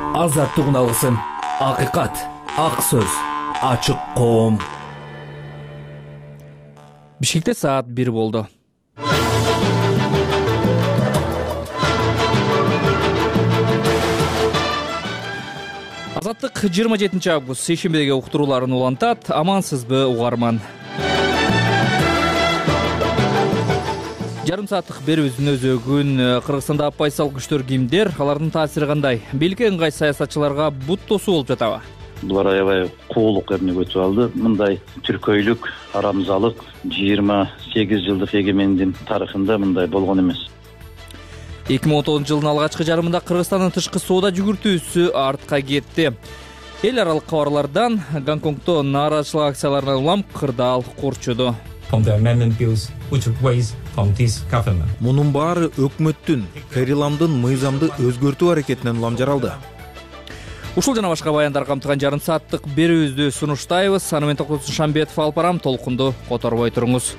Азаттык алгысын, акыйкат, ак сөз, ачык коом. Бишкекте саат 1 болду. Азаттык 27 август шейшембидеги уктурууларын улантат. Амансызбы угарман? Жарым сааттык берүүбүздүн өзөгүн Кыргызстанда оппозициялык күчтөр кимдер, алардын таасири кандай? Бийликке ыңгай саясатчыларга бут тосуу болуп жатабы? Булар аябай куулук эмне өтүп алды. Мындай түркөйлүк, арамзалык 28 жылдык эгемендин тарыхында мындай болгон эмес. 2019 жылдын алгачкы жарымында Кыргызстандын тышкы соода жүгүртүүсү артка кетти. Эл аралык кабарлардан Гонконгдо нааразычылык акцияларынан улам кырдаал курчуду. Мунун баары өкмөттүн Кайриламдын мыйзамды өзгөртүү аракетинен улам жаралды. Ушул жана башка баяндар камтыган жарым сааттык берүүбүздү сунуштайбыз. Аны менен Токтосун Шамбетов алып барам. Толкунду которбой туруңуз.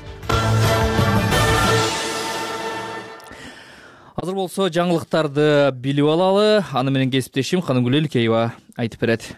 Азыр болсо жаңылыктарды билип алалы. Аны менен кесиптешим Канымгүл Элкеева айтып берет.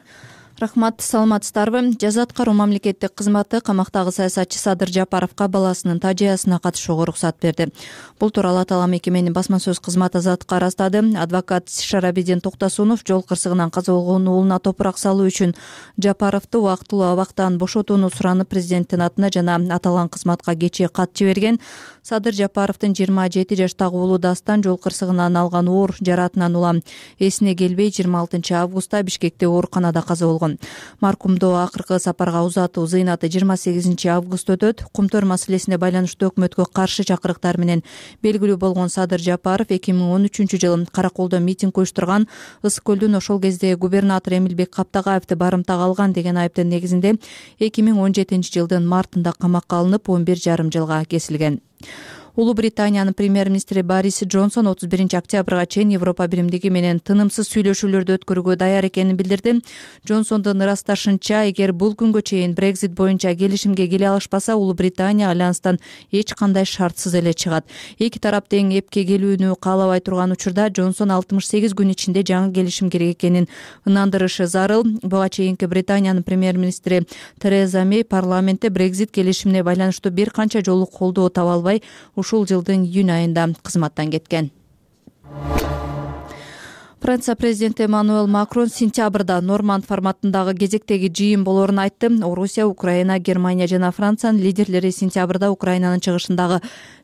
Рахмат, саламатсыздарбы? Жаза аткаруу мамлекеттик кызматы камактагы саясатчы Садыр Жапаровго баласынын тажыясына катышууга уруксат берди. Бул тууралуу аталган мекеменин басма сөз кызматы Азаттыкка арастады. Адвокат Шарабидин Токтосунов жол кырсыгынан каза болгон уулуна топурак салуу үчүн Жапаровду убактылуу абактан бошотууну суранып президенттин атына жана аталган кызматка кечээ кат жиберген. Садыр Жапаровдун 27 жаштагы уулу Дастан жол кырсыгынан алган оор жаратынан улам эсине келбей 26 августта Бишкекте ооруканада каза болгон. Маркумду акыркы сапарга узатуу зыйнаты 28 август өтөт. Кумтөр маселесине байланыштуу өкмөткө каршы чакырыктар менен белгилүү болгон Садыр Жапаров 2013 жылы Караколдо митинг уюштурган, Ысык көлдүн ошол кезде губернатор Эмилбек Каптагаевди барымтага алган деген айыптын негизинде 2017 жылдын мартында камакка алынып 11,5 жылга кесилген. Улуу Британиянын премьер-министри Борис Джонсон 31 октябрга чейин Европа биримдиги менен тынымсыз сүйлөшүүлөрдү өткөрүүгө даяр экенин билдирди. Джонсондун ырасташынча, эгер бул күнгө чейин Brexit боюнча келишимге келе алышпаса, Улуу Британия альянстан эч кандай шартсыз эле чыгат. Эки тарап тең эпке келүүнү каалабай турган учурда Джонсон 68 күн ичинде жаңы келишим керек экенин ынандырышы зарыл. Буга чейинки Британиянын премьер-министри Тереза Мэй парламентте Brexit келишимине байланыштуу бир канча жолу колдоо таба албай, ушул жылдын июнь айында кызматтан кеткен. Франция президенти Эммануэль Макрон сентябрда Норманд форматындагы кезектеги жыйын болоорун айтты. Орусия, Украина, Германия жана Франциянын лидерлери сентябрда Украинанын чыгышындагы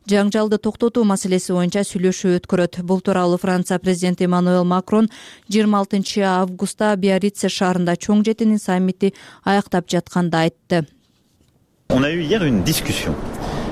жаңжалды токтотуу маселеси боюнча сүйлөшүү өткөрөт. Бул тууралуу Франция президенти Эммануэль Макрон 26 августта Биаррице шаарында чоң жетинин саммити аяктап жатканда айтты. On a eu hier une discussion.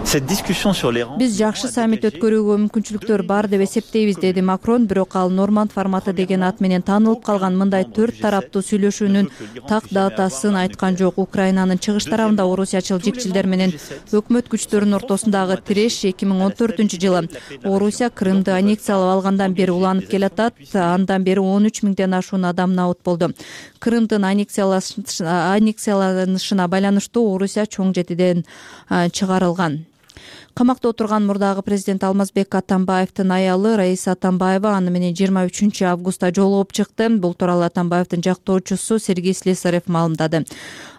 Биз жакшы саммит өткөрүүгө мүмкүнчүлүктөр бар деп эсептейбиз, деди Макрон. Бирок ал Норманд форматы деген ат менен таанылып калган мындай 4 тараптуу сүйлөшүүнүн так датасын айткан жок. Украинанын чыгыш тарабында орусиячыл жикчилдер менен өкмөт күчтөрүнүн ортосундагы тиреш 2014 жылы Орусия Крымды аннексиялап алгандан бери уланып келатат. Андан бери 13 миңден ашуун адам набыт болду. Крымдын аннексияланышына байланыштуу Орусия чоң жетиден чыгарылган. Камакта отурган мурдагы президент Алмазбек Атамбаевдин аялы Раиса Атамбаева аны менен 23 августта жолугуп чыкты. Бул тууралуу Атамбаевдин жактоочусу Сергей Слесарев маалымдады.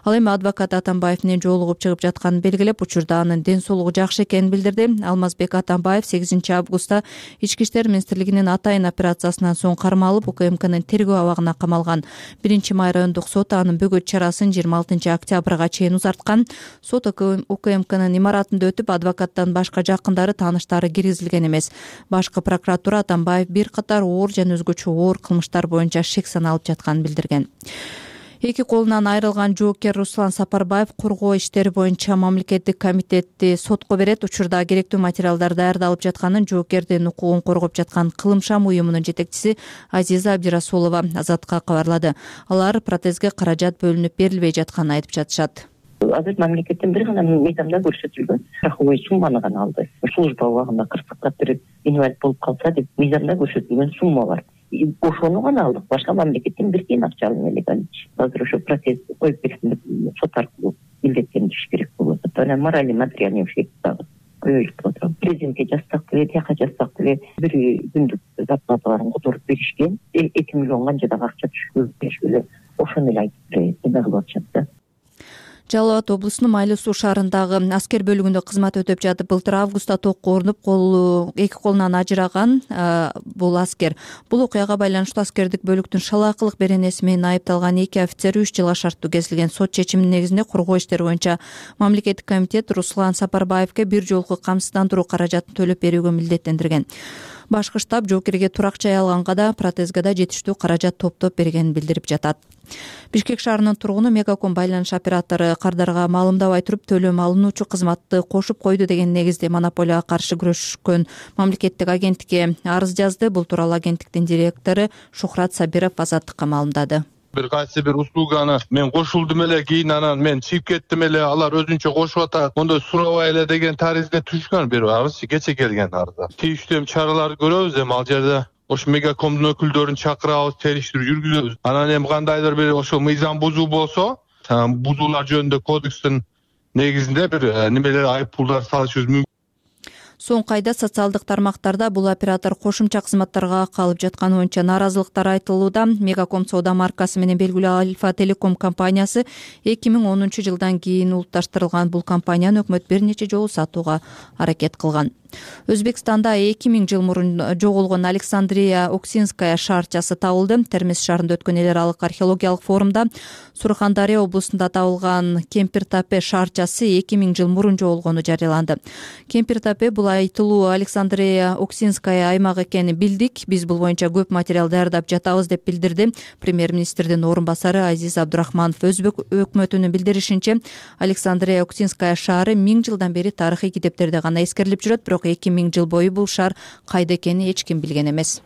Ал эми адвокат Атамбаев менен жолугуп чыгып жатканын белгилеп, учурда анын ден соолугу жакшы экенин билдирди. Алмазбек Атамбаев 8 августта Ички иштер министрлигинин Атайын операциясынан соң кармалып, УКМКнын тергөө абагына камалган. 1 райондук сот анын бөгөт чарасын 26 октябрга чейин узарткан. Сот УКМКнын имаратында өтүп, адвокаттан башка жакындары, тааныштары киргизилген эмес. Башкы прокуратура Атамбаев бир катар оор жана өзгөчө оор кылмыштар боюнча шек саналып жатканын билдирген. Эки колунан айрылган жоокер Руслан Сапарбаев коргоо иштери боюнча мамлекеттик комитетти сотко берет. Учурда керектүү материалдар даярдалып жатканын жоокердин укугун коргоп жаткан Кылымшам уюмунун жетекчиси Азиза Абдирасулова Азатка кабарлады. Алар протезге каражат бөлүнүп берилбей жатканын айтып жатышат. Азыр мамлекеттен бир гана мыйзамда көрсөтүлгөн страховой сумманы гана алды. Служба убагында кырсыкка кирип инвалид болуп калса деп мыйзамда көрсөтүлгөн сумма бар. Ошону гана алдык. Башка мамлекеттен бир тиен акча албай элек. Азыр ошо протез коюп берсин деп сот аркылуу милдеттендириш керек болот. Моральный материальный ущерб дагы. көбөйүп атат. Президентке жазсак деле, тияка жазсак деле бир күндүк зарплаталарын которуп беришкен. 2 миллион канчадагы акча түшкөн эле ошону эле айтып эме кылып атышат да. Жалал Абад облусунун Майлуу суу шаарындагы аскер бөлүгүндө кызмат өтөп жатып, былтыр августта токко урунуп, эки колунан ажыраган бул аскер. Бул окуяга байланыштуу аскердик бөлүктүн шалаакылык беренеси менен айыпталган 2 офицер 3 жылга шарттуу кезилген сот чечиминин негизинде коргоо иштери боюнча мамлекеттик комитет Руслан Сапарбаевке бир жолку камсыздандыруу каражатын төлөп берүүгө милдеттендирген. Башкы штаб жоокерге турак жай алганга да, протезге да жетиштүү каражат топтоп бергенин билдирип жатат. Бишкек шаарынын тургуну Мегаком байланыш оператору кардарга маалымдабай туруп төлөм алынуучу кызматты кошуп койду деген негизде монополияга каршы күрөшкөн мамлекеттик агенттикке арыз жазды. Бул тууралуу агенттиктин директору Шухрат Сабиров Азаттыкка маалымдады. Бир кайсы бир услуганы мен кошулдум эле, кийин анан мен чыгып кеттим эле, алар өзүнчө кошуп атат, мондой сурабай эле деген таризде түшкөн бир арыз, кече келген арыз. Тийиштүү чараларды көрөбүз, эми ал жерде ошо Мегакомдун өкүлдөрүн чакырабыз, териштирүү жүргүзөбүз. Анан эми кандайдыр бир ошо мыйзам бузуу болсо, бузуулар жөнүндө кодекстин негизинде бир немелер айыппулдар салышыбыз мүмкүн. Соңку айда социалдык тармактарда бул оператор кошумча кызматтарга калып жатканы боюнча нааразылыктар айтылууда. Мегаком соода маркасы менен белгилүү Альфа Телеком компаниясы 2010 жылдан кийин улутташтырылган. Бул компанияны өкмөт бир нече жолу сатууга аракет кылган. Өзбекстанда 2000 жыл мурун жоголгон Александрия Оксинская шаарчасы табылды. Термиз шаарында өткөн эл аралык археологиялык форумда Сурхандария облусунда табылган Кемпиртапе шаарчасы 2000 жыл мурун жоголгону жарыяланды. Кемпиртапе бул айтылуу Александрия Оксинская аймак экенин билдик. Биз бул боюнча көп материал даярдап жатабыз деп билдирди премьер-министрдин орун басары Азиз Абдурахманов. Өзбек өкмөтүнүн билдиришинче, Александрия Оксинская шаары 1000 жылдан бери тарыхый китептерде гана эскерилип жүрөт, бирок 2000 жыл бою бул шаар кайда экенин эч ким билген эмес.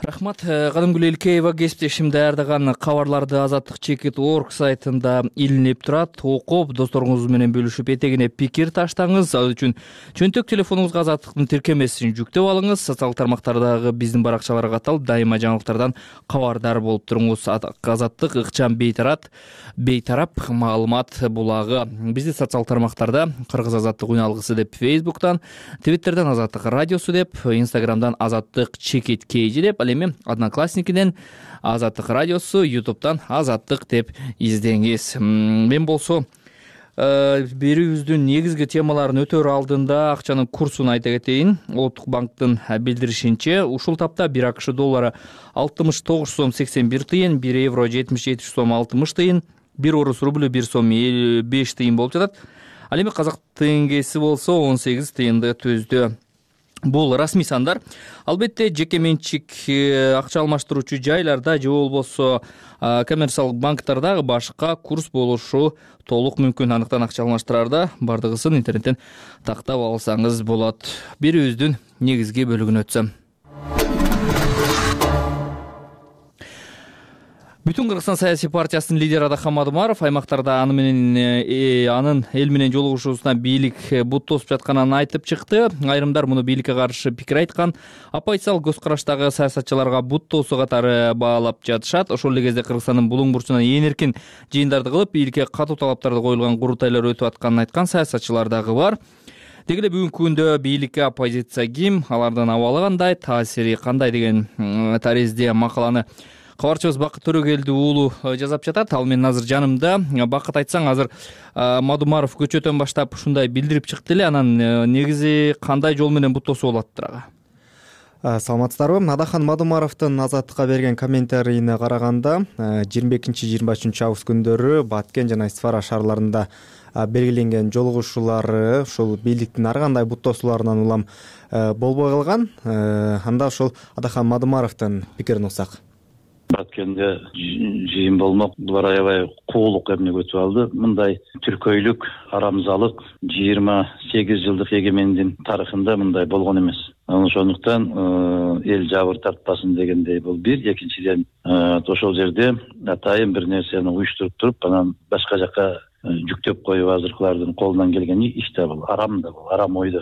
Рахмат. Кадымгүл Элкеева кесиптешим даярдаган кабарларды Азаттык Чекит.org сайтында илинип турат. Окуп, досторуңуз менен бөлүшүп, этегине пикир таштаңыз. Ал үчүн чөнтөк телефонуңузга Азаттыктын тиркемесин жүктөп алыңыз. Социалдык тармактардагы биздин баракчаларга каталып, дайыма жаңылыктардан кабардар болуп туруңуз. Азаттык ыкчам бейтарап маалымат булагы. Бизди социалдык тармактарда Кыргыз Азаттык уналгысы деп Facebook'тан, Twitter'дан Азаттык радиосу деп, Instagram'дан Азаттык Чекит Кейжи деп, эми Одноклассникиден Азаттык радиосу, YouTube'дан Азаттык деп издеңиз. Мен болсо берүүбүздүн негизги темаларын өтөр алдында акчанын курсун айта кетейин. Улуттук банктын билдиришинче, ушул тапта 1 АКШ доллары 69 сом 81 тыйын, 1 евро 77 сом 60 тыйын, 1 орус рублю 1 сом 5 тыйын болуп жатат. Ал эми казак теңгеси болсо 18 тыйынды түздү. Бул расмий сандар. Албетте жеке менчик акча алмаштыруучу жайларда же болбосо коммерциялык банктардагы башка курс болушу толук мүмкүн. Андыктан акча алмаштырарда бардыгысын интернеттен тактап алсаңыз болот. Берүүбүздүн негизги бөлүгүнө өтсөм. Бүтүн Кыргызстан саясий партиясынын лидери Адахан Мадумаров аймактарда анын эл менен жолугушуусуна бийлик бут тосуп жатканын айтып чыкты. Айрымдар муну бийликке каршы пикир айткан. Оппозициялык көз караштагы саясатчыларга бут тосуу катары баалап жатышат. Ошол эле кезде Кыргызстандын булуң бурчунан эркин жыйындарды кылып, бийликке катуу талаптарды коюлган курултайлар өтүп атканын айткан саясатчылар дагы бар. Деги эле бүгүнкү күндө бийликке оппозиция ким, алардын абалы кандай, таасири кандай деген таризде макаланы кабарчыбыз Бакыт Төрөгелди уулу жазап жатат. Ал менен азыр жанымда. Бакыт, айтсаң, азыр Мадумаров көчөтөн баштап ушундай билдирип чыкты эле. Анан негизи кандай жол менен бут тосуу болот дырага? Саламатсыздарбы? Адахан Мадумаровдун Азаттыкка берген комментарийине караганда, 22-23 август күндөрү Баткен жана Исфара шаарларында белгиленген жолугушуулары ушул бийликтин ар кандай бут тосууларынан улам болбой калган. Анда ушул Адахан Мадумаровдун пикирин угсак. Баткенде жыйын болмок, булар аябай куулук эмне өтүп алды. Мындай түркөйлүк, арамзалык 28 жылдык эгемендин тарыхында мындай болгон эмес. Ошондуктан эл жабыр тартпасын дегендей бул бир. Экинчиден, ошол жерде атайын бир нерсени уюштуруп туруп, анан башка жака жүктөп коюп азыркылардын колунан келген иш да бул, арам да бул, арам ой.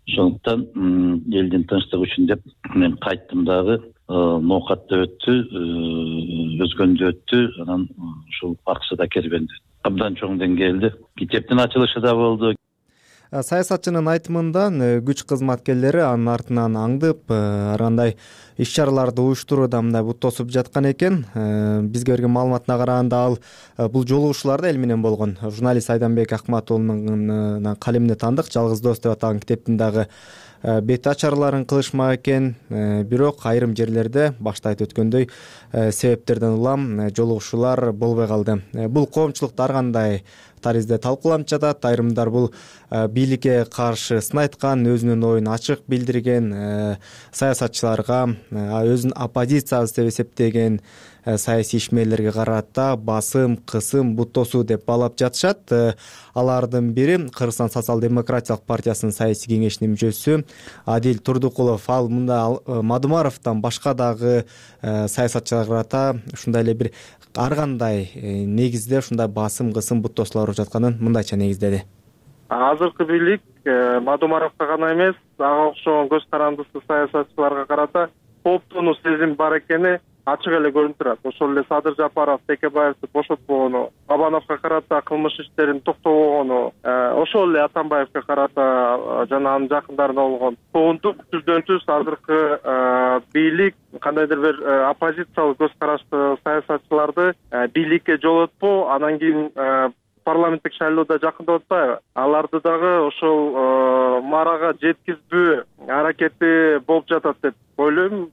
Ошондуктан элдин тынчтыгы үчүн деп мен кайттым дагы. Ноокатта өттү, өзгөндө өттү, анан ушул Аксыда кербенде абдан чоң деңгээлде китептин ачылышы да болду. Саясатчынын айтымында күч кызматкерлери анын артынан аңдып ар кандай иш чараларды уюштурууда мындай бут тосуп жаткан экен. Бизге берген маалыматына караганда ал бул жолугушууларда эл менен болгон. Журналист Айданбек Акматуулунун калемине таандык «Жалгыз дос» деп аталган китептин дагы бет ачарларын кылышмак экен. Бирок айрым жерлерде башта айтып өткөндөй себептерден улам жолугушуулар болбой калды. Бул коомчулукта ар кандай таризде талкууланып жатат. Айрымдар бул бийликке каршы сын айткан, өзүнүн оюн ачык билдирген, саясатчыларга өзүн оппозициябыз деп эсептеген саясий ишмерлерге карата басым, кысым, бут тосуу деп баалап жатышат. Алардын бири Кыргызстан социал-демократиялык партиясынын саясий кеңешинин мүчөсү Адил Турдукулов. Ал мында Мадумаровдон башка дагы саясатчыларга карата ушундай эле бир ар кандай негизде ушундай басым, кысым, бут тосуулар болуп жатканын мындайча негиздеди. Азыркы бийлик Мадумаровго гана эмес, ага окшогон көз карандысы саясатчыларга карата кооптонуу сезим бар экени ачык эле көрүнүп турат. Ошол эле Садыр Жапаров Текебаевди бошотпогону, Абановго карата кылмыш иштерин токтобогону, ошол эле Атамбаевге карата жана анын жакындарына болгон коондук түздөн түз азыркы бийлик кандайдыр бир оппозициялык көз караштуу саясатчыларды бийликке жолотпоо, анан кийин парламенттик шайлоодо жакындап атпайбы? Аларды дагы ошол марага жеткизбөө аракети болуп жатат деп ойлойм.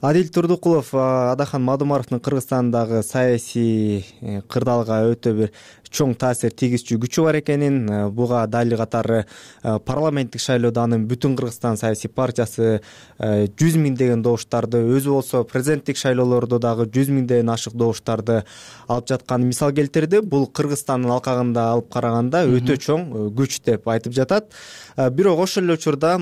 Адил Турдукулов Адахан Мадумаровдун Кыргызстандагы саясий кырдаалга өтө бир чоң таасир тийгизчү күчү бар экенин, буга дали катары парламенттик шайлоодо анын Бүтүн Кыргызстан саясий партиясы 100 миңдеген добуштарды, өзү болсо президенттик шайлоолордо дагы 100 миңден ашык добуштарды алып жатканын мисал келтирди. Бул Кыргызстандын алкагында алып караганда өтө чоң күч деп айтып жатат. Бирок ошол эле учурда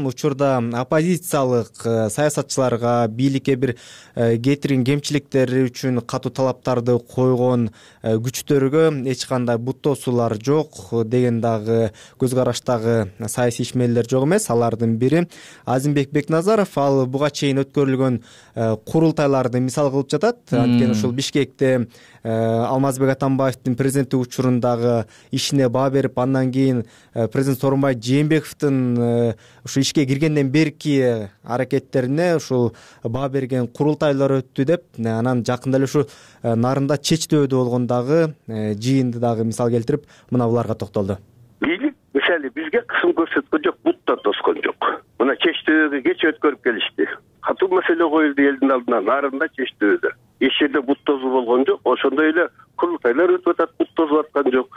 оппозициялык саясатчыларга, бийликке бир кетирген кемчиликтери үчүн катуу талаптарды койгон күчтөргө эч кандай бут тосуулар жок деген дагы көз караштагы саясий ишмерлер жок эмес. Алардын бири Азимбек Бекназаров. Ал буга чейин өткөрүлгөн курултайларды мисал кылып жатат. Анткени ушул Бишкекте Алмазбек Атамбаевдин президенттик учурундагы ишине баа берип, андан кийин президент Сооронбай Жээнбековдун ушу ишке киргенден берки аракеттерине ушул баа берген курултайлар өттү деп, анан жакында эле ушу Нарында Чечтөөдө болгон дагы жыйынды дагы мисал келтирип, мына буларга токтолду. Бийлик мисалы бизге кысым көрсөткөн жок, буттан тоскон жок. Мына Чечтөөгө кеч өткөрүп келишти. Катуу маселе коюлду элдин алдына, Нарында Чечтөөдө. Эч жерде бут тосуу болгон жок. Ошондой эле курултайлар өтүп атат, бут тосуп аткан жок.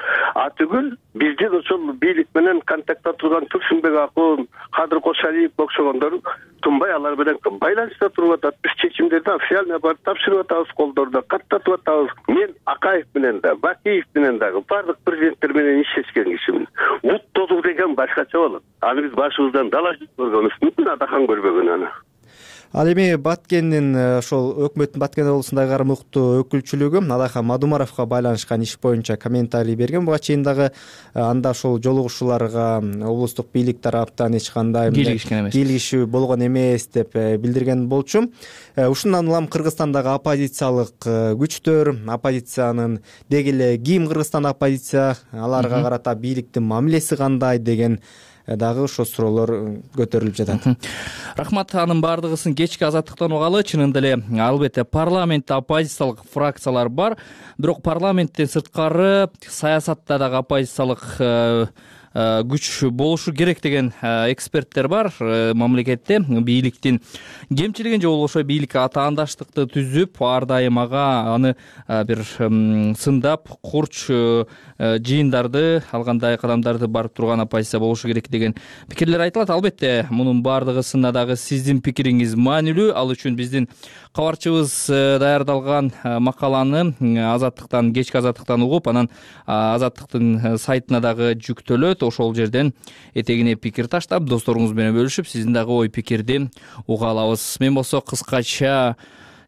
Түгүл биздин ошол бийлик менен контактта турган Турсунбек Акун, Кадыр Кошалиев окшогондор тунбай алар менен байланышта туруп атат. Биз чечимдерди официально барып тапшырып атабыз, колдордо каттатып атабыз. Мен Акаев менен да, Бакиев менен дагы бардык президенттер менен иштешкен кишимин. Бут тосуу деген башкача болот. Аны биз башыбыздан дала көргөнбүз, мүмкүн Адахан көрбөгөн аны. Ал эми Баткендин ошол өкмөттүн Баткен облусундагы айрым укуктуу өкүлчүлүгү Адахан Мадумаровго байланышкан иш боюнча комментарий берген. Буга чейин дагы анда ошол жолугушууларга облустук бийлик тараптан эч кандай кийлигишүү болгон эмес деп билдирген болчу. Ушундан улам Кыргызстандагы оппозициялык күчтөр, оппозициянын деги эле ким Кыргызстан оппозиция, аларга карата бийликтин мамилеси кандай деген дагы ошо суроолор көтөрүлүп жатат. Рахмат, анын баардыгысын кечки Азаттыктан угалы. Чынында эле албетте парламентте оппозициялык фракциялар бар, бирок парламенттен сырткары саясатта дагы оппозициялык күч болушу керек деген эксперттер бар. Мамлекетте бийликтин кемчилигин же болбошо бийликке атаандаштыкты түзүп, ар дайым аны бир сындап, курч жыйындарды, ал кандай кадамдарды барып турган оппозиция болушу керек деген пикирлер айтылат. Албетте мунун баардыгысына дагы сиздин пикириңиз маанилүү. Ал үчүн биздин кабарчыбыз даярдалган макаланы Азаттыктан, кечки Азаттыктан угуп, анан Азаттыктын сайтына дагы жүктөлөт. Ошол жерден этегине пикир таштап, досторуңуз менен бөлүшүп, сиздин дагы ой пикирди уга алабыз. Мен болсо кыскача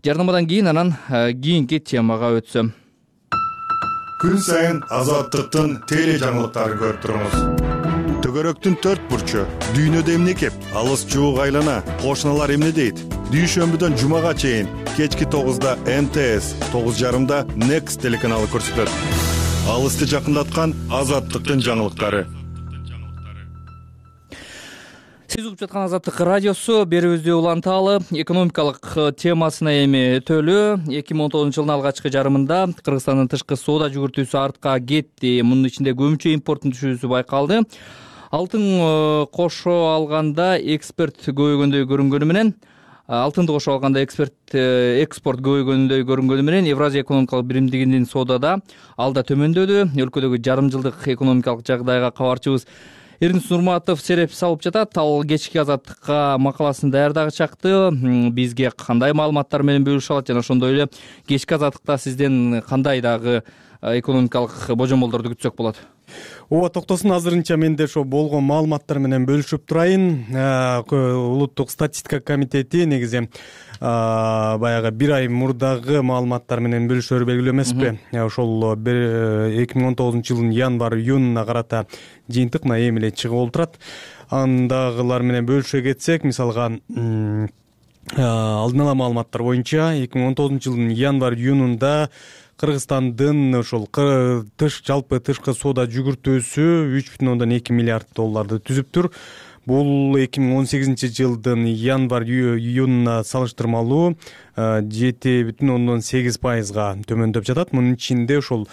жарнамадан кийин анан кийинки темага өтсөм. Күн сайын Азаттыктын теле жаңылыктарын көрүп туруңуз. Төгөрөктүн 4 бурчу, дүйнөдө эмне кеп, алыс жуук айлана, кошуналар эмне дейт? Дүйшөмбүдөн жумага чейин кечки 9-да НТС, 9:30-да Next телеканалы көрсөтөт. Алысты жакындаткан Азаттыктын жаңылыктары. Сиз угуп жаткан Азаттык радиосу. Берүүбүздү уланталы. Экономикалык темасына эми өтөлү. 2019 жылдын алгачкы жарымында Кыргызстандын тышкы соода жүгүртүүсү артка кетти. Мунун ичинде көбүнчө импорттун түшүүсү байкалды. Алтын кошо алганда экспорт көбөйгөндөй көрүнгөнү менен экспорт көбөйгөндөй көрүнгөнү менен Евразия экономикалык биримдигинин соодада алда төмөндөдү. Өлкөдөгү жарым жылдык экономикалык жагдайга кабарчыбыз Эрнис Нурматов сереп салып жатат. Ал кечки Азаттыкка макаласын даярдагы чакты бизге кандай маалыматтар менен бөлүшө алат жана ошондой эле кечки Азаттыкта сизден кандай дагы экономикалык божомолдорду күтсөк болот? Ооба, токтосун, азырынча мен да ошо болгон маалыматтар менен бөлүшүп турайын. Улуттук статистика комитети негизи баягы бир ай мурдагы маалыматтар менен бөлүшөөрү белгилүү эмеспи. Ошол 2019 жылдын январь-июнуна карата жыйынтык мына эми эле чыгып олтурат. Андагылар менен бөлүшө кетсек, мисалга алдын ала маалыматтар боюнча 2019 жылдын январь-июнунда Кыргызстандын ошол жалпы тышкы соода жүгүртүүсү 3,2 миллиард долларды түзүптүр. Бул 2018 жылдын январь-июнуна салыштырмалуу 7,8%га төмөндөп жатат. Мунун ичинде ошол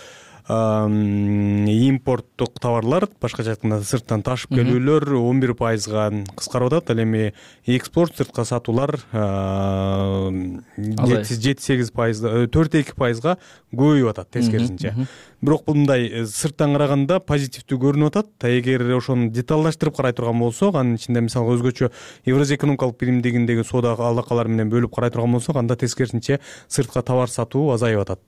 импорттук товарлар, башкача айтканда сырттан ташып келүүлөр 11%га кыскарып атат. Ал эми экспорт, сыртка сатуулар 4,2%га көбөйүп атат тескерисинче. Бирок бул мындай сырттан караганда позитивдүү көрүнүп атат. Эгер ошону деталдаштырып карай турган болсок, анын ичинде мисалга өзгөчө Евразия экономикалык биримдигиндеги соода алакалар менен бөлүп карай турган болсок, анда тескерисинче сыртка товар сатуу азайып атат.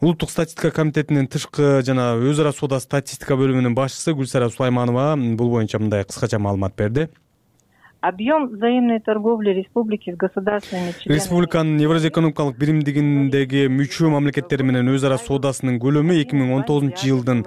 Улуттук статистика комитетинин тышкы жана өз ара соода статистика бөлүмүнүн башчысы Гүлсара Сулайманова бул боюнча мындай кыскача маалымат берди. Объем взаимной торговли республики с государственными членами. Республиканын Евразия экономикалык биримдигиндеги мүчө мамлекеттери менен өз ара соодасынын көлөмү 2019 жылдын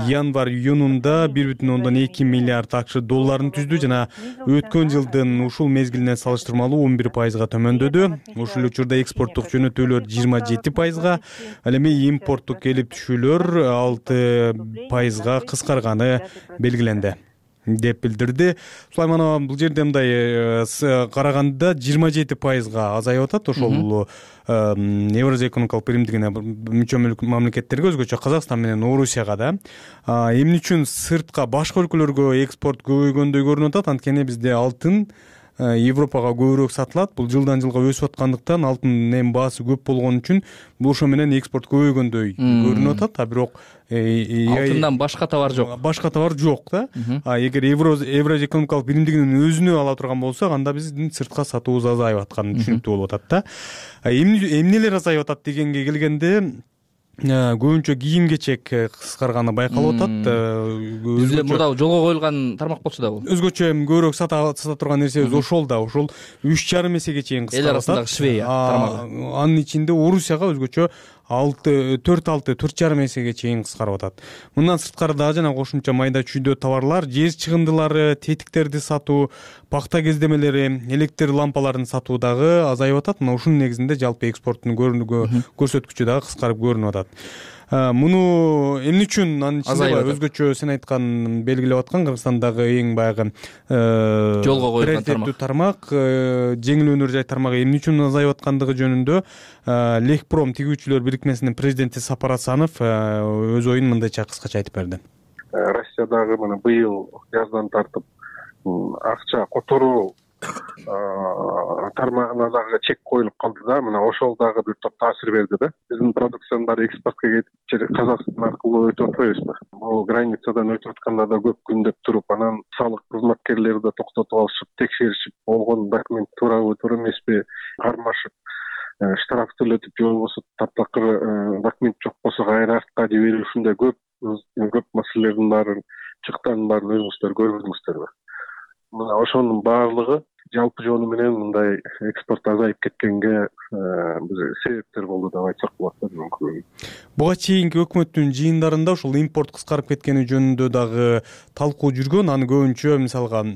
январь-июнунда 1,2 миллиард АКШ долларын түздү жана өткөн жылдын ушул мезгилине салыштырмалуу 11%га төмөндөдү. Ушул учурда экспорттук жөнөтүүлөр 27%га, ал эми импорттук келип түшүүлөр 6%га кыскарганы белгиленди деп билдирди. Сулайманова бул жерде мындай караганда 27%га азайып атат. Ошол Евразия экономикалык биримдигине мүчө мамлекеттерге, өзгөчө Казакстан менен Орусияга да. Эмне үчүн сыртка башка өлкөлөргө экспорт көбөйгөндөй көрүнүп атат? Анткени бизде алтын Европага көбүрөөк сатылат. Бул жылдан жылга өсүп аткандыктан алтындын баасы көп болгон үчүн бул ошо менен экспорт көбөйгөндөй көрүнүп атат. А бирок алтындан башка товар жок. Башка товар жок да. Эгер Евразия экономикалык биримдигинин өзүнө ала турган болсок, анда биздин сыртка сатуубуз азайып атканы түшүнүктүү болуп атат да. Эмнелер азайып атат дегенге келгенде, көбүнчө кийим-кечек кыскарганы байкалып атат. Бизде мурда жолго коюлган тармак болчу да бул. Өзгөчө көбүрөөк сата турган нерсебиз ошол да. Ошол 3,5 эсеге чейин кыскарып атат. Эл арасындагы Швея тармагы. Анын ичинде Орусияга өзгөчө 4,5 эсеге чейин кыскарып атат. Мындан сырткары дагы жана кошумча майда чүйдө товарлар, жер чыгындылары, тетиктерди сатуу, пахта кездемелери, электр лампаларын сатуу дагы азайып атат. Мына ушунун негизинде жалпы экспорттун көрсөткүчү дагы кыскарып көрүнүп атат. Муну эмне үчүн анын ичинде өзгөчө сен айткан белгилеп аткан Кыргызстандагы эң баягы жолго коюлган тармак, жеңил өнөр жай тармагы эмне үчүн азайып аткандыгы жөнүндө Лекпром тигүүчүлөр бирикмесинин президенти Сапар Асанов өз оюн мындайча кыскача айтып берди. Россиядагы мына быйыл жаздан тартып акча которуу тармагына дагы чек коюлуп калды да. Мына ошол дагы бир топ таасир берди да. Биздин продукциянын баары экспортко кетип Казакстан аркылуу өтүп атпайбызбы? Бул границадан өтүп атканда да көп күндөп туруп, анан салык кызматкерлери да токтотуп алышып, текшеришип, болгон документ туурабы, туура эмеспи кармашып, штраф төлөтүп, же болбосо таптакыр документ жок болсо кайра артка жиберип, ушундай көп маселелердин баарын, чыктанын баарын өзүңүздөр көрдүңүздөрбү? Мына ошонун баардыгы жалпы жолу менен мындай экспорт азайып кеткенге себептер болду деп айтсак болот да мүмкүн. Буга чейинки өкмөттүн жыйындарында ошол импорт кыскарып кеткени жөнүндө дагы талкуу жүргөн. Аны көбүнчө мисалга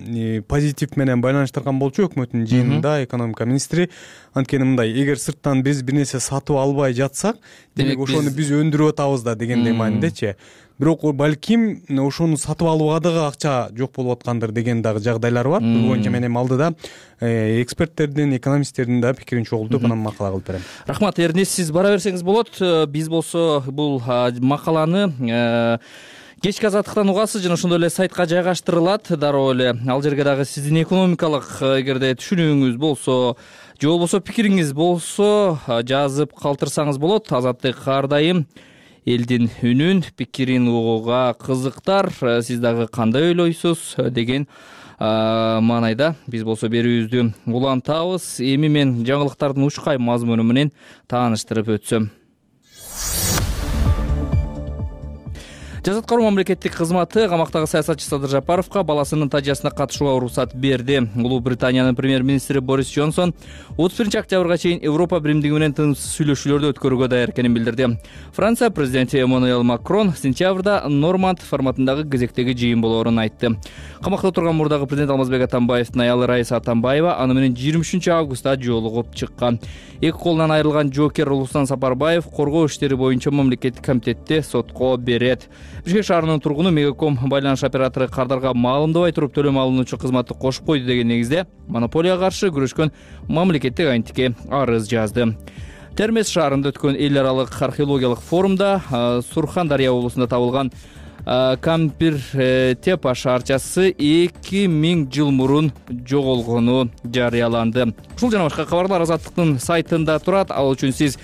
позитив менен байланыштырган болчу өкмөттүн жыйынында экономика министри. Анткени мындай, эгер сырттан биз бир нерсе сатып албай жатсак, демек ошону биз өндүрүп атабыз да дегендей маанидечи. бирок балким ошону сатып алууга дагы акча жок болуп аткандыр деген дагы жагдайлар бар. Бул боюнча мен эми алдыда эксперттердин, экономисттердин да пикирин чогултуп анан макала кылып берем. Рахмат Эрнест, сиз бара берсеңиз болот. Биз болсо бул макаланы кечки азаттыктан угасыз жана ошондой эле сайтка жайгаштырылат. Дароо эле ал жерге дагы сиздин экономикалык эгерде түшүнүүңүз болсо же болбосо пикириңиз болсо жазып калтырсаңыз болот. Азаттык ар дайым элдин үнүн, пикирин угууга кызыктар. Сиз дагы кандай ойлойсуз деген маанайда биз болсо берүүбүздү улантабыз. Эми мен жаңылыктардын ушкай мазмуну менен тааныштырып өтсөм. Жазат кароо мамлекеттик кызматы камактагы саясатчы Садыр Жапаровго баласынын тажыясына катышууга уруксат берди. Улуу Британиянын премьер-министри Борис Джонсон 31 октябрга чейин Европа биримдиги менен тынымсыз сүйлөшүүлөрдү өткөрүүгө даяр экенин билдирди. Франция президенти Эммануэль Макрон сентябрда Норманд форматындагы кезектеги жыйын болоорун айтты. Камакта отурган мурдагы президент Алмазбек Атамбаевдин аялы Раиса Атамбаева аны менен 23 августта жолугуп чыккан. Эки колунан айрылган жоокер Улуслан Сапарбаев коргоо иштери боюнча мамлекеттик комитетте сотко берет. Бишкек шаарынын тургуну Мегаком байланыш оператору кардарга маалымдабай туруп төлөм алынуучу кызматты кошуп койду деген негизде монополияга каршы күрөшкөн мамлекеттик агенттикке арыз жазды. Термез шаарында өткөн эл аралык археологиялык форумда Сурхан-Дарыя облусунда табылган Кампир Тепа шаарчасы 2000 жыл мурун жоголгону жарыяланды. Ушул жана башка кабарлар Азаттыктын сайтында турат. Ал үчүн сиз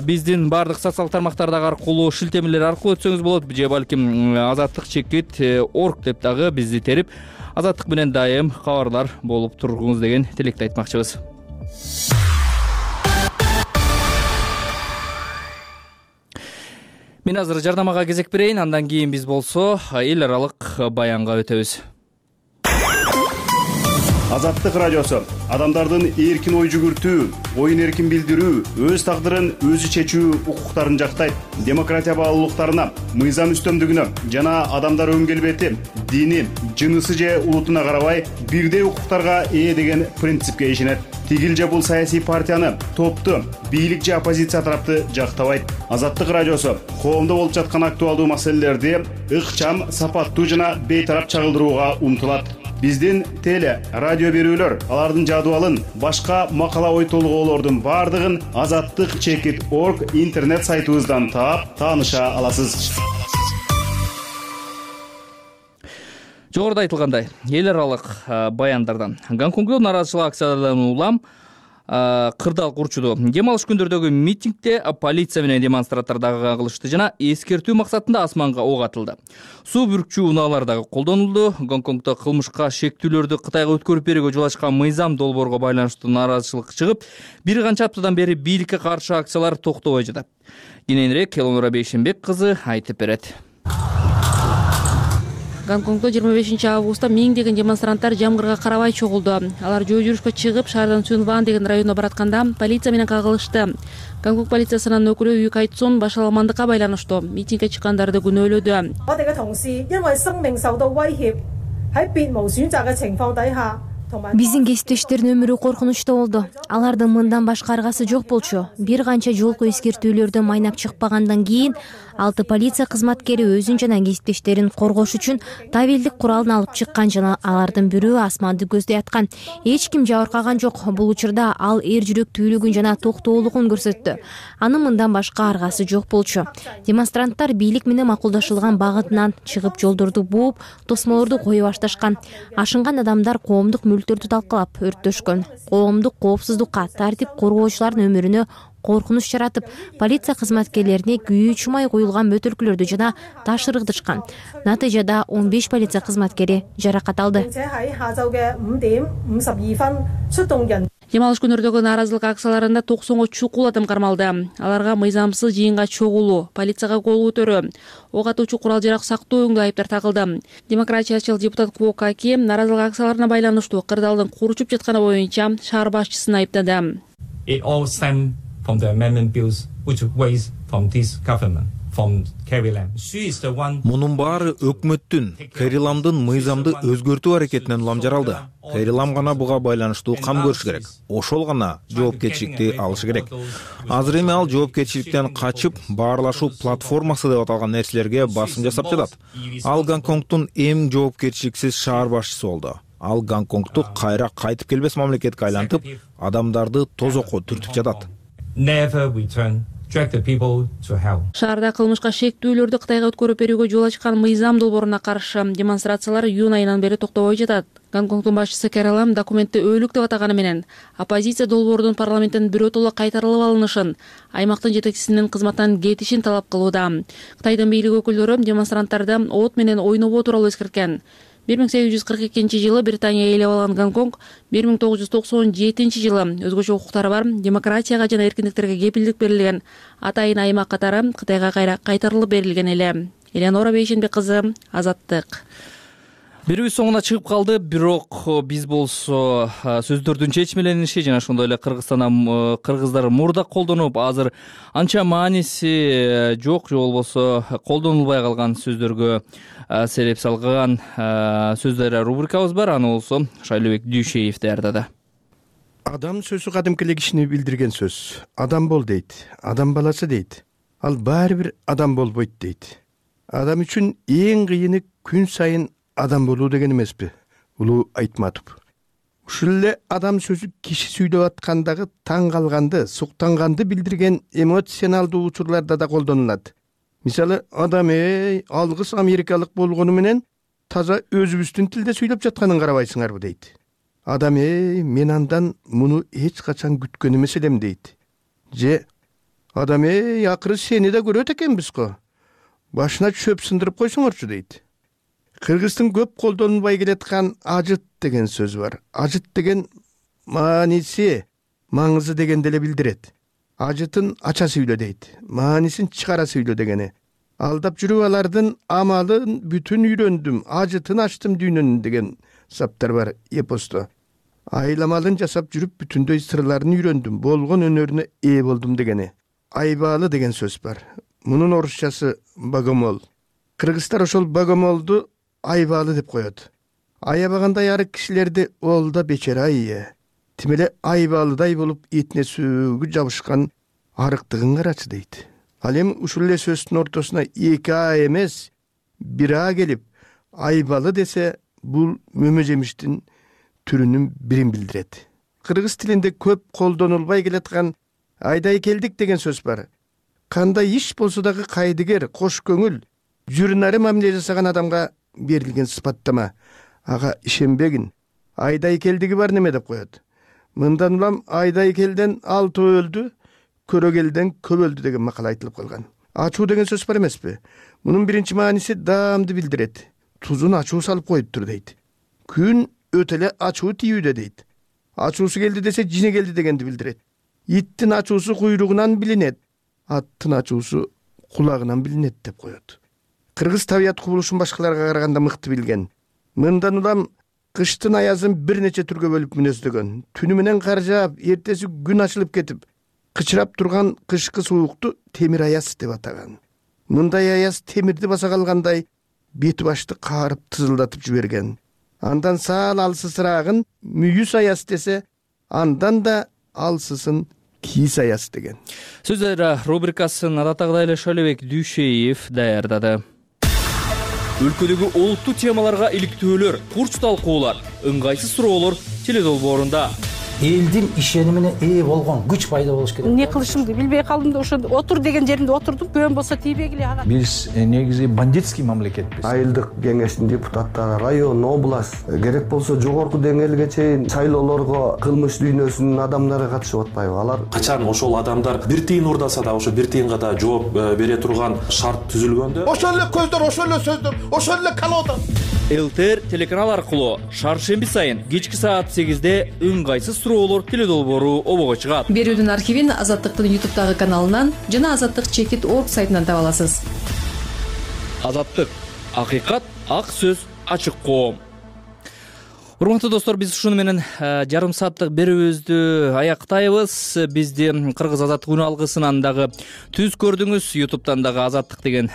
биздин бардык социалдык тармактардагы аркылуу шилтемелер аркылуу өтсөңүз болот. Же балким azattik.org деп дагы бизди терип Азаттык менен дайым кабарлар болуп тургуңуз деген тилекти айтмакчыбыз. Мен азыр жарнамага кезек берейин, андан кийин биз болсо эл аралык баянга өтөбүз. Азаттык радиосу адамдардын эркин ой жүгүртүү, оюн эркин билдирүү, өз тагдырын өзү чечүү укуктарын жактайт. Демократия баалуулуктарына, мыйзам үстөмдүгүнө жана адамдар өн келбети, дини, жынысы же улутуна карабай бирдей укуктарга ээ деген принципке ишенет. Тигил же бул саясий партияны, топту, бийлик же оппозиция тарапты жактабайт. Азаттык радиосу коомдо болуп жаткан актуалдуу маселелерди ыкчам, сапаттуу жана бейтарап чагылдырууга умтулат. Биздин теле, радио берүүлөр, алардын жадыбалын, башка макала ой толгоолордун бардыгын azattik.org интернет сайтыбыздан таап, тааныша аласыз. Жогоруда айтылгандай, эл аралык баяндардан Гонконгдо нааразычылык акцияларынан улам кырдаал курчуду. Дем алыш күндөрдөгү митингде полиция менен демонстранттар дагы кагылышты жана эскертүү максатында асманга ок атылды. Суу бүркчүү унаалар дагы колдонулду. Гонконгдо кылмышка шектүүлөрдү Кытайга өткөрүп берүүгө жол ачкан мыйзам долбоорго байланыштуу нааразычылык чыгып, бир канча аптадан бери бийликке каршы акциялар токтобой жатат. Кененирээк Элонора Бейшенбек кызы айтып берет. Гонконгдо 25 августта миңдеген демонстранттар жамгырга карабай чогулду. Алар жөө жүрүшкө чыгып, шаардан Сюнван деген районуна баратканда полиция менен кагылышты. Гонконг полициясынын өкүлү Ю Кайцун башаламандыкка байланыштуу митингге чыккандарды күнөөлөдү. Биздин кесиптештердин өмүрү коркунучта болду. Алардын мындан башка аргасы жок болчу. Бир канча жолку эскертүүлөрдү майнап чыкпагандан кийин 6 полиция кызматкери өзүн жана кесиптештерин коргош үчүн табелдик куралын алып чыккан жана алардын бирөө асманды көздөй аткан. Эч ким жабыркаган жок. Бул учурда ал эр жүрөктүүлүгүн жана токтоолугун көрсөттү. Анын мындан башка аргасы жок болчу. Демонстранттар бийлик менен макулдашылган багытынан чыгып жолдорду бууп, тосмолорду кое башташкан. Ашынган адамдар коомдук мүлктөрдү талкалап өрттөшкөн. Коомдук коопсуздукка, тартип коргоочулардын өмүрүнө коркунуч жаратып, полиция кызматкерлерине күйүү чумай коюлган бөтөлкөлөрдү жана таш ыргытышкан. Натыйжада 15 полиция кызматкери жаракат алды. Дем алыш күнөрдөгү нааразылык акцияларында 90 чукул адам кармалды. Аларга мыйзамсыз жыйынга чогулуу, полицияга кол көтөрүү, ок атуучу курал жарак сактоо өңдүү айыптар тагылды. Демократиячыл депутат Кво Каки нааразылык акцияларына байланыштуу кырдаалдын курчуп жатканы боюнча шаар башчысын айыптады. It all stems from the amendment bills which raised from this government, from Мунун баары өкмөттүн Кэри Ламдын мыйзамды өзгөртүү аракетинен улам жаралды. Кэри Лам гана буга байланыштуу кам көрүш керек. Ошол гана жоопкерчиликти алышы керек. Азыр эми ал жоопкерчиликтен качып, баарлашуу платформасы деп аталган нерселерге басым жасап жатат. Ал Гонконгдун эң жоопкерчиликсиз шаар башчысы болду. Ал Гонконгду кайра кайтып келбес мамлекетке айлантып, адамдарды тозокко түртүп жатат. Шаарда кылмышка шектүүлөрдү Кытайга өткөрүп берүүгө жол ачкан мыйзам долбооруна каршы демонстрациялар июнь айынан бери токтобой жатат. Гонконгдун башчысы Кэри Лам документти өөлүк деп атаганы менен оппозиция долбоордун парламенттен биротоло кайтарылып алынышын, аймактын жетекчисинин кызматтан кетишин талап кылууда. Кытайдын бийлик өкүлдөрү демонстранттарды от менен ойнобоо тууралуу эскерткен. 1842-жылы Британия ээлеп алган Гонконг 1997-жылы өзгөчө укуктары бар, демократияга жана эркиндиктерге кепилдик берилген атайын аймак катары Кытайга кайра кайтарылып берилген эле. Элеонора Бейшенбек кызы, Азаттык. Берүүбүз соңуна чыгып калды, бирок биз болсо сөздөрдүн чечмелениши жана ошондой эле кыргыздар мурда колдонуп, азыр анча мааниси жок же болбосо колдонулбай калган сөздөргө себеп салган сөздөр рубрикабыз бар. Аны болсо Шайлообек Дүйшеев даярдады. Адам сөзү кадимки эле кишини билдирген сөз. Адам бол дейт, адам баласы дейт. Ал баары бир адам болбойт дейт. Адам үчүн эң кыйыны күн сайын адам болуу деген эмеспи? Улуу Айтматов. Ушул эле адам сөзү киши сүйлөп аткандагы таң калганды, суктанганды билдирген эмоционалдуу учурларда да колдонулат. Мисалы, адам алгыс америкалык болгону менен таза өзүбүздүн тилде сүйлөп жатканын карабайсыңарбы дейт. Адам мен андан муну эч качан күткөн эмес элем дейт. Же адам акыры сени да көрөт экенбиз го. Башына чөп сындырып койсоңорчу дейт. Кыргыздын көп колдонулбай келаткан ажыт деген сөз бар. Ажыт деген мааниси, маңызы дегенди эле билдирет. Ажытын ача сүйлө дейт. Маанисин чыгара сүйлө дегени. Алдап жүрүп алардын амалын бүтүн үйрөндүм, ажытын ачтым дүйнөнүн деген саптар бар эпосто. Айламалын жасап жүрүп бүтүндөй сырларын үйрөндүм, болгон өнөрүнө ээ болдум дегени. Айбаалы деген сөз бар. Мунун орусчасы богомол. Кыргыздар ошол богомолду айбаалы деп коет. Аябагандай арык кишилерди ол да бечара тим эле айбаалыдай болуп этине сөөгү жабышкан арыктыгын карачы дейт. Ал эми ушул эле сөздүн ортосуна эки а эмес, бир а келип, айбалы десе, бул мөмө жемиштин түрүнүн бирин билдирет. Кыргыз тилинде көп колдонулбай келаткан айдай келдик деген сөз бар. Кандай иш болсо дагы кайдыгер, кош көңүл, жүрүнары мамиле жасаган адамга берилген сыпаттама. Ага ишенбегин. Айдай келдиги бар неме деп коет. Мындан улам айдай келден 6 өлдү, көрөгелден көп өлдү деген макал айтылып калган. Ачуу деген сөз бар эмеспи? Мунун биринчи мааниси даамды билдирет. Тузун ачуу салып коюптур дейт. Күн өтө эле ачуу тийүүдө дейт. Ачуусу келди десе жине келди дегенди билдирет. Иттин ачуусу куйругунан билинет. Аттын ачуусу кулагынан билинет деп коет. Кыргыз табият кубулушун башкаларга караганда мыкты билген. Мындан улам кыштын аязын бир нече түргө бөлүп мүнөздөгөн. Түнү менен кар жаап, эртеси күн ачылып кетип, кычырап турган кышкы суукту темир аяз деп атаган. Мындай аяз темирди баса калгандай бети башты каарып тызылдатып жиберген. Андан саал алсысыраагын мүйүс аяз десе, андан да алсысын кийиз аяз деген. Сөздөр рубрикасын адаттагыдай эле Шайлообек Дүйшеев даярдады. Өлкөдөгү олуттуу темаларга иликтөөлөр, курч талкуулар, ыңгайсыз суроолор теледолбоорунда. Элдин ишенимине ээ болгон күч пайда болуш керек. Эмне кылышымды билбей калдым да ошо отур деген жеримде отурдум. Көн болсо тийбегиле ага. Биз негизи бандитский мамлекетпиз. Айылдык кеңештин депутаттары, район, область, керек болсо жогорку деңгээлге чейин шайлоолорго кылмыш дүйнөсүнүн адамдары катышып атпайбы? Алар качан ошол адамдар бир тыйын урдаса да ошо бир тыйынга да жооп бере турган шарт түзүлгөндө ошол эле көздөр, ошол эле сөздөр, ошол эле колода. ЛТР телеканал аркылуу шаршемби сайын кечки саат 8-де ыңгайсыз суроолор теледолбоору обого чыгат. Берүүдүн архивин Азаттыктын YouTube'дагы каналынан жана azаттык.org сайтынан таба аласыз. Азаттык, акыйкат, ак сөз, ачык коом. Урматтуу достор, биз ушуну менен жарым сааттык берүүбүздү аяктайбыз. Бизди Кыргыз Азаттык үн алгысынан дагы түз көрдүңүз, YouTube'дан дагы Азаттык деген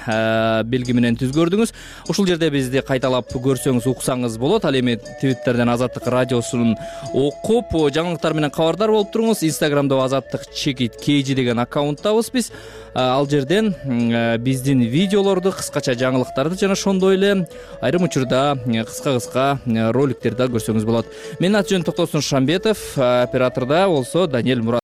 белги менен түз көрдүңүз. Ушул жерде бизди кайталап көрсөңүз, уксаңыз болот. Ал эми Twitterден Азаттык радиосун окуп, жаңылыктар менен кабардар болуп туруңуз. Instagramда Азаттык чекит KG деген аккаунттабыз биз. Ал жерден биздин видеолорду, кыскача жаңылыктарды жана ошондой эле айрым учурда кыска роликтерди көрсөңүз болот. Менин аты жөнүм Токтосун Шамбетов, оператордо болсо Даниэль Мурат.